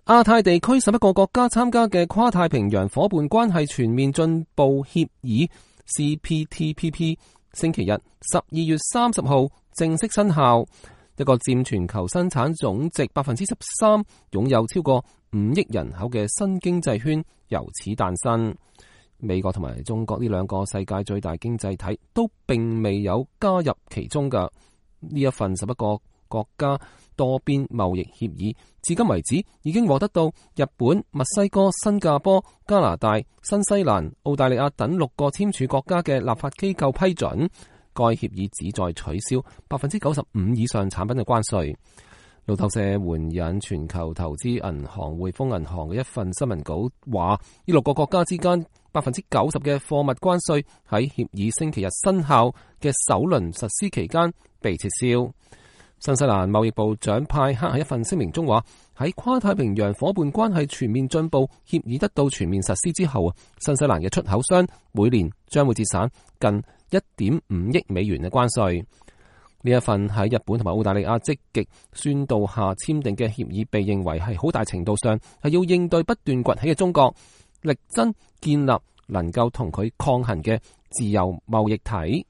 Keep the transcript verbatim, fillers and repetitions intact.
亞太地區十一個國家參加嘅跨太平洋夥伴關係全面進步協議 C P T P P 星期日十二月三十號正式生效，一個佔全球生產總值百分之十三、擁有超過五億人口嘅新經濟圈由此誕生。美國同埋中國呢兩個世界最大經濟體都並未有加入其中嘅呢一份十一個國家多邊貿易協議，至今為止已經獲得到日本、墨西哥、新加坡、加拿大、新西蘭、澳大利亞等六個簽署國家嘅立法機構批准。該協議旨在取消百分之九十五以上產品嘅關稅。路透社援引全球投資銀行匯豐銀行嘅一份新聞稿話，呢六個國家之間百分之九十嘅貨物關稅喺協議星期日生效嘅首輪實施期間被撤銷。新西蘭貿易部長派克喺一份聲明中話，喺跨太平洋夥伴關係全面進步協議得到全面實施之後，新西蘭嘅出口商每年將會節省近一點五億美元嘅關稅。呢一份喺日本同埋澳大利亞積極宣導下簽訂嘅協議，被認為係好大程度上係要應對不斷崛起嘅中國，力爭建立能夠同佢抗衡嘅自由貿易體。